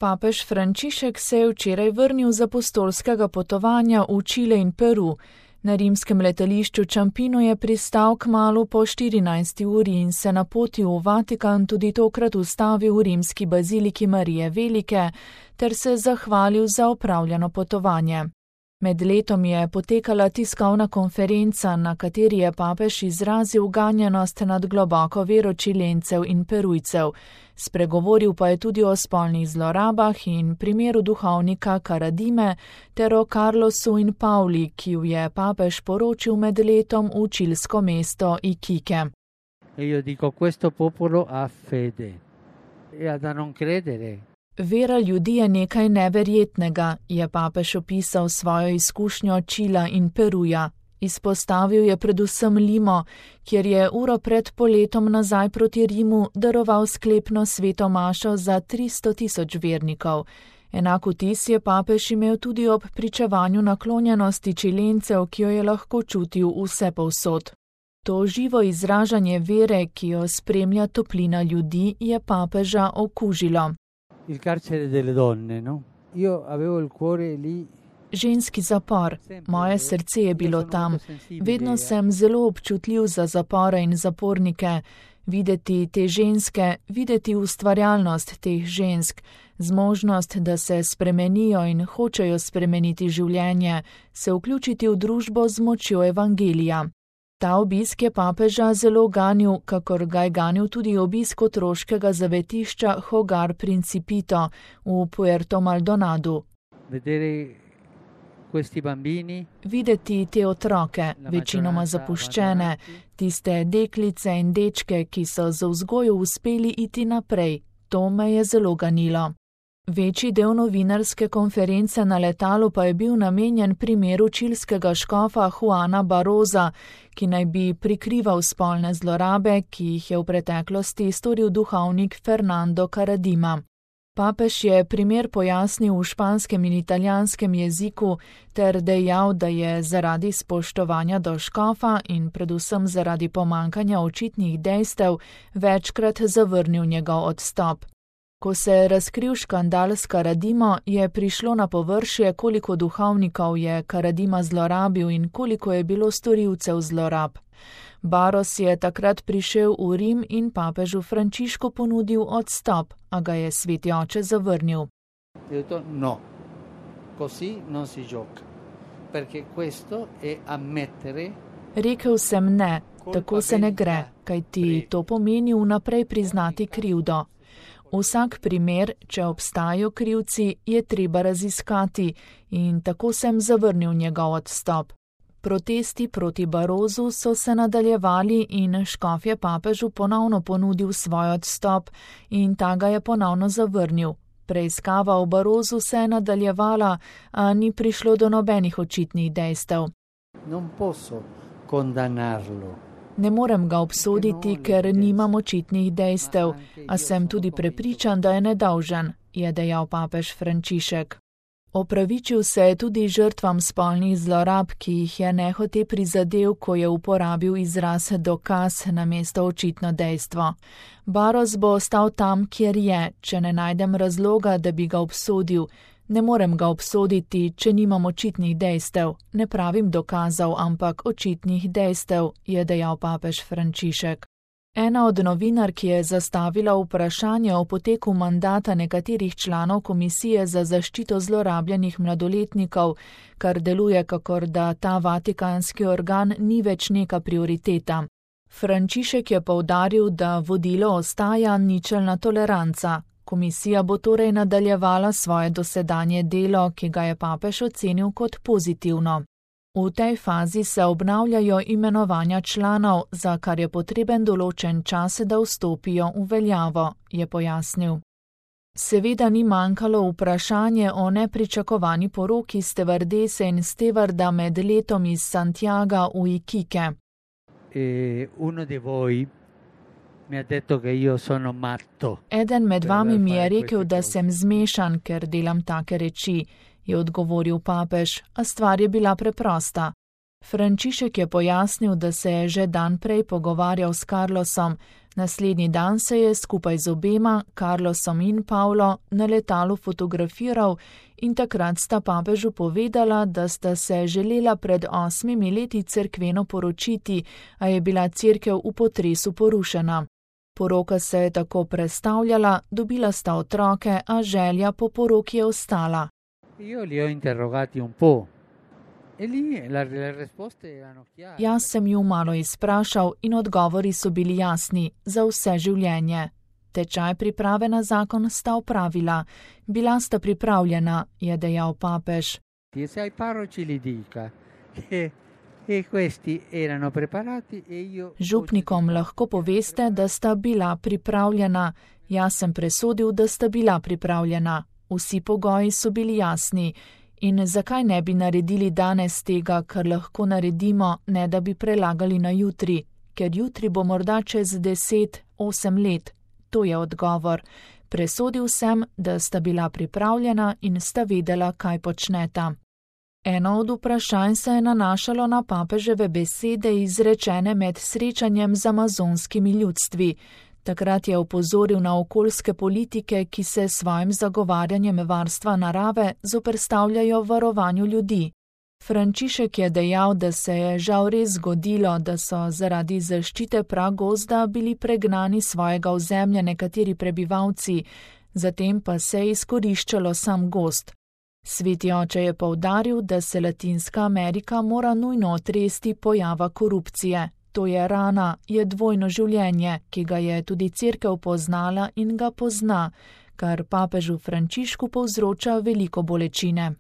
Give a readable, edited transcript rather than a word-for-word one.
Papež Frančišek se je včeraj vrnil z apostolskega potovanja v Čile in Peru. Na rimskem letališču Čampino je pristal kmalu po 14. uri in se napotil v Vatikan tudi tokrat ustavil v rimski baziliki Marije Velike ter se zahvalil za opravljeno potovanje. Med letom je potekala tiskovna konferenca, na kateri je papež izrazil ganjenost nad globoko vero Čilencev in Perujcev. Spregovoril pa je tudi o spolnih zlorabah in primeru duhovnika Karadime ter o Carlosu in Pauli, ki ju je papež poročil med letom v čilsko mesto Iquique. Io dico, questo popolo ha fede. E da non credere. Vera ljudi je nekaj neverjetnega, je papež opisal svojo izkušnjo Čila in Peruja. Izpostavil je predvsem Limo, kjer je uro pred poletom nazaj proti Rimu daroval sklepno sveto mašo za 300.000 vernikov. Enak vtis je papež imel tudi ob pričevanju naklonjenosti Čilencev, ki jo je lahko čutil vsepovsod. To živo izražanje vere, ki jo spremlja toplina ljudi, je papeža okužilo. Il carcere delle donne, no? Io avevo il cuore lì. Ženski zapor. Moje srce je bilo tam. Vedno sem zelo občutljiv za zapore in zapornike. Videti te ženske, videti ustvarjalnost teh žensk, zmožnost, da se spremenijo in hočejo spremeniti življenje, se vključiti v družbo z močjo evangelija. Ta obisk je papeža zelo ganil, kakor ga je ganil tudi obisk otroškega zavetišča Hogar Principito v Puerto Maldonadu. Videti te otroke, večinoma zapuščene, tiste deklice in dečke, ki so z vzgojo uspeli iti naprej, to me je zelo ganilo. Večji del novinarske konference na letalu pa je bil namenjen primeru čilskega škofa Juana Baroza, ki naj bi prikrival spolne zlorabe, ki jih je v preteklosti storil duhovnik Fernando Karadima. Papež je primer pojasnil v španskem in italijanskem jeziku ter dejal, da je zaradi spoštovanja do škofa in predvsem zaradi pomankanja očitnih dejstev večkrat zavrnil njegov odstop. Ko se je razkril škandal s Karadimo, je prišlo na površje, koliko duhovnikov je Karadima zlorabil in koliko je bilo storilcev zlorab. Baros je takrat prišel v Rim in papežu Frančišku ponudil odstop, a ga je sveti oče zavrnil. No, così non si gioca, perché questo è ammettere. Rekel sem ne, tako se ne gre, kajti to pomeni vnaprej priznati krivdo. Vsak primer, če obstajajo krivci, je treba raziskati in tako sem zavrnil njegov odstop. Protesti proti Barozu so se nadaljevali in škof je papežu ponovno ponudil svoj odstop in ta ga je ponovno zavrnil. Preiskava o Barozu se je nadaljevala, a ni prišlo do nobenih očitnih dejstev. Non posso condannarlo. Ne morem ga obsoditi, ker nimam očitnih dejstev, a sem tudi prepričan, da je nedolžen, je dejal papež Frančišek. Opravičil se je tudi žrtvam spolnih zlorab, ki jih je nehote prizadel, ko je uporabil izraz dokaz namesto očitno dejstvo. Baros bo ostal tam, kjer je, če ne najdem razloga, da bi ga obsodil. Ne morem ga obsoditi, če nimam očitnih dejstev. Ne pravim dokazov, ampak očitnih dejstev, je dejal papež Frančišek. Ena od novinark je zastavila vprašanje o poteku mandata nekaterih članov Komisije za zaščito zlorabljenih mladoletnikov, kar deluje kakor da ta vatikanski organ ni več neka prioriteta. Frančišek je poudaril, da vodilo ostaja ničelna toleranca. Komisija bo torej nadaljevala svoje dosedanje delo, ki ga je papež ocenil kot pozitivno. V tej fazi se obnavljajo imenovanja članov, za kar je potreben določen čas, da vstopijo v veljavo, je pojasnil. Seveda ni manjkalo vprašanje o nepričakovani poroki stevardese in stevarda med letom iz Santiaga v Iquique. Uno di voi mi ha detto che io sono matto. Eden med vami mi je rekel, da sem zmešan, ker delam take reči, je odgovoril papež, a stvar je bila preprosta. Frančišek je pojasnil, da se je že dan prej pogovarjal s Carlosom, Naslednji dan se je skupaj z obema, Carlosom in Pavlo, na letalu fotografiral in takrat sta papežu povedala, da sta se želela pred 8 leti cerkveno poročiti, a je bila cerkev v potresu porušena. Poroka se je tako prestavljala, dobila sta otroke, a želja po poroki je ostala. Jaz sem ju malo izprašal in odgovori so bili jasni, za vse življenje. Tečaj priprave na zakon sta opravila. Bila sta pripravljena, je dejal papež. Župnikom lahko poveste, da sta bila pripravljena. Jaz sem presodil, da sta bila pripravljena. Vsi pogoji so bili jasni. In zakaj ne bi naredili danes tega, kar lahko naredimo, ne da bi prelagali na jutri? Ker jutri bo morda čez 10-8 let. To je odgovor. Presodil sem, da sta bila pripravljena in sta vedela, kaj počneta. Eno od vprašanj se je nanašalo na papeževe besede izrečene med srečanjem z amazonskimi ljudstvi. Takrat je opozoril na okoljske politike, ki se s svojim zagovarjanjem varstva narave zoperstavljajo varovanju ljudi. Frančišek je dejal, da se je žal res zgodilo, da so zaradi zaščite pragozda bili pregnani svojega ozemlja nekateri prebivalci, zatem pa se je izkoriščalo sam gozd. Sveti oče je poudaril, da se Latinska Amerika mora nujno otresti pojava korupcije. To je rana, je dvojno življenje, ki ga je tudi cerkev poznala in ga pozna, kar papežu Frančišku povzroča veliko bolečine.